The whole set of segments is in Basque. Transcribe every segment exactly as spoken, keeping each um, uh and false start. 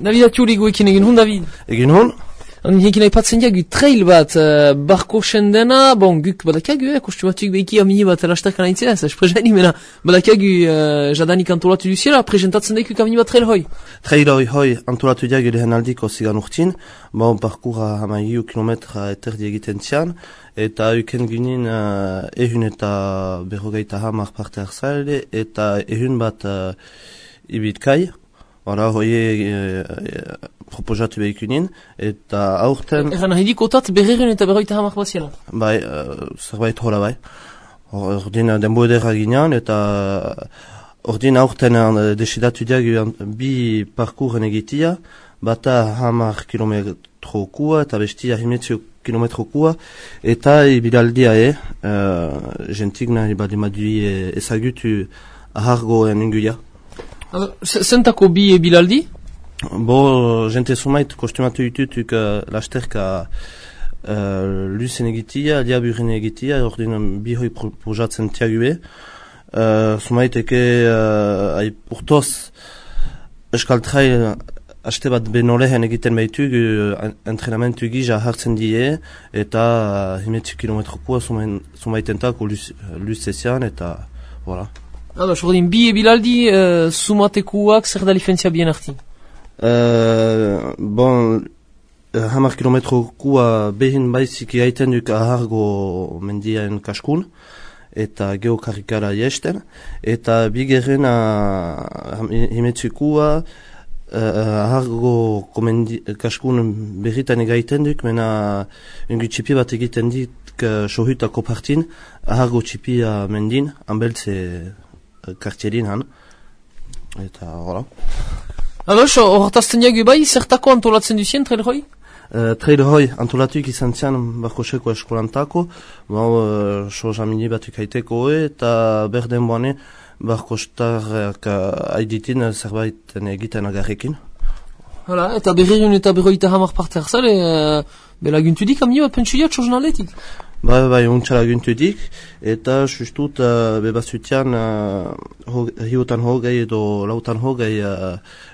David Atiuli guekin egin hun, David? Egin hun? Hekin aipatzen diagu trail bat, uh, barko sendena, bon, guk badakagu, eh, kostumatuik behiki amini bat lasterkan aitzea, ez esprezeni mena, badakagu uh, jadanik antolatu duziela, presentatzen daikuk amini bat trail hoi. Trail hoi hoi antolatu diagu lehen aldiko zigan urtin, bon, parkura hamaiu kilometra eterdi egiten zian, eta euken ginen uh, ehun eta berrogeita hamar parte hartzale, eta ehun bat uh, ibitkai, Hora, hoi e, e, proposatu behikunin, eta aurten... Egan nahi dikotat berrerun eta berroita hamar baziela? Bai, uh, zerbait hola bai. Ordin denbo edera ginean, eta ordin aurten uh, desidatu diagu bi parkuren egitia, bata hamar kilometro kua, eta bestia himetzio kilometro kua, eta ibilaldia e, uh, jentik nahi badimadui e, ezagutu ahargoen inguia. Zentako bi bilaldi? Bo, jente sumait kostumatu ditutuk uh, lasterka uh, luzen egitia, liaburen egitia, ordin bi hoi projatzen tiague. Uh, sumaiteke uh, urtoz eskal trail haste bat benolehen egiten behitug uh, entrenamentu gija hartzen die, eta uh, himetzi kilometrokua sumaitentako luzezian, eta voilà. Ados, ordin, bi ebilaldi uh, sumatekuak zer da diferentzia bien arti? Uh, bon, uh, hamar kilometro kua behin baizik gaiten duk ahargo mendiaen kaskun, eta geokarrikara jesten, eta bigerren uh, himetzukua uh, ahargo kaskun berritan egaiten duk, mena ungu txipi bat egiten dik uh, sohutako partin, ahargo txipia mendin, anbeltze kartierin han, eta hola. Ados, horretazten diagu bai, zertako antolatzen duzien trail hoi? Uh, trail hoi antolatuik izan zian barkoseko eskolantako, bau, uh, so jamini batuk haiteko eta berden boane barkostarrak uh, haiditin zerbait egiten agarrekin. Hala, eta berrerun eta berroita hamar parte hartzale, uh, belaguntu dik amni bat pentsu diat jornaletik? Bai, bai, untsa laguntu dik, eta sustut uh, bebazutian uh, ho, hiutan hogei edo lautan hogei uh,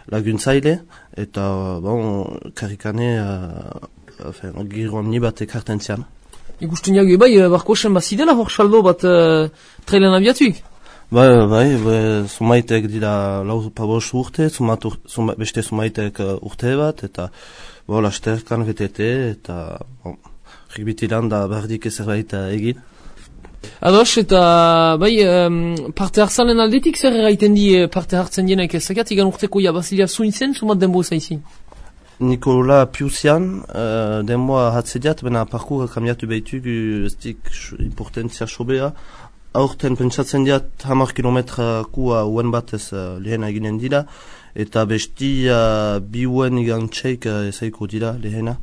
laguntzaile, eta bon, karikane uh, giro amni bat ekarten zian. Ikusten jagu bai, barkosen bazidela hor saldo bat uh, trailen abiatuik? Bai, bai, bai, sumaitek dira lau pabos urte, sumat, suma, beste sumaitek uh, urte bat, eta bo, lasterkan V T T, eta bon, Rigbitilan da bardik zerbait egin. Ados, eta bai, um, parte hartzalen aldetik zer erraiten di parte hartzen dienak ezagat, igan urteko jabazilia zuintzen, sumat denbo zaizin? Nikola Piusian, uh, denboa hatzediat, bena parkour kamiatu behitug, ez dik importantzia sobea. Aurten pentsatzen diat hamar kilometra kua uen batez uh, lehena eginen dira, eta besti uh, bi uen igan txeik uh, ezaiko dira lehena.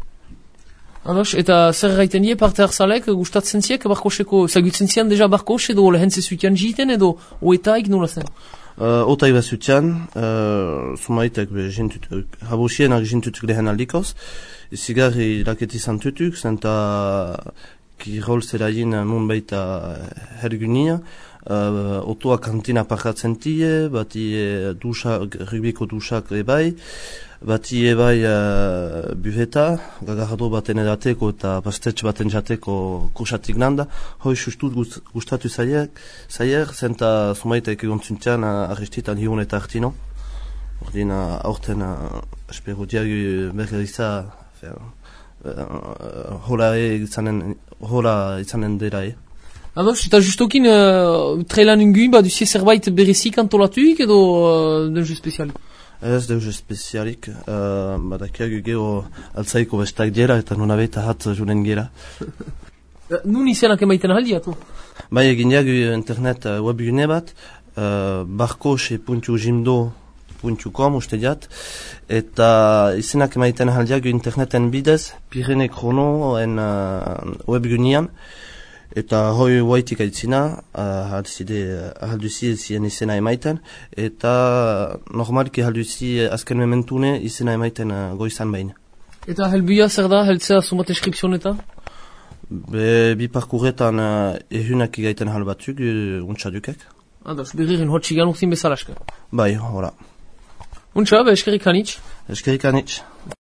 Ados, eta zer gaiten die parte hartzalek gustatzen ziek barkoseko, zagutzen zian deja barkos edo lehentze zutian jiten edo oetaik nola zen? Uh, otaik bat zutian, uh, sumaitek habosienak jintutuk lehen aldikoz, izigarri laketi zantutuk, zenta kirol zeraien nun baita hergunia, uh, otoa kantina parkatzen tie, bati e, dusak, rugbiko dusak ebai, bati ebai uh, bufeta, gagardo baten edateko eta pastetx baten jateko kursatik nanda, hoi sustut gustatu zaier, zaier, zenta sumaitek egon zuntian uh, arrestitan hiun eta artino. Ordin uh, aurten uh, espero diagu bergeriza uh, uh, hola izanen, hola izanen dira e. Ados, eta justokin uh, trailan unguin, ba duzie zerbait berezik antolatuik edo uh, denju spezialik? Ez denju spezialik, uh, badakiagu geho altzaiko bestak dira eta nuna behita hat julen gira. Nun izenak emaiten ahaldiatu? Bai, egin diagu internet uh, webgune bat, uh, barkose puntu jimdo puntu com uste diat, eta izenak emaiten ahaldiagu interneten bidez, Pirene Krono en uh, webgunean, eta hoi waitik aitzina, uh, ahalduzi zien izena emaiten, eta normalki ahalduzi azken mementune izena emaiten uh, goizan behin. Eta helbuia zer da, heltzea sumat eskripzioneta? Be, bi parkurretan uh, ehunak igaiten hal batzuk, uh, untsa dukek. Ados, berririn hotxigan urtin bezalaska? Bai, hola. Untsa, ba, eskerrik hanitz. Eskerrik anitz.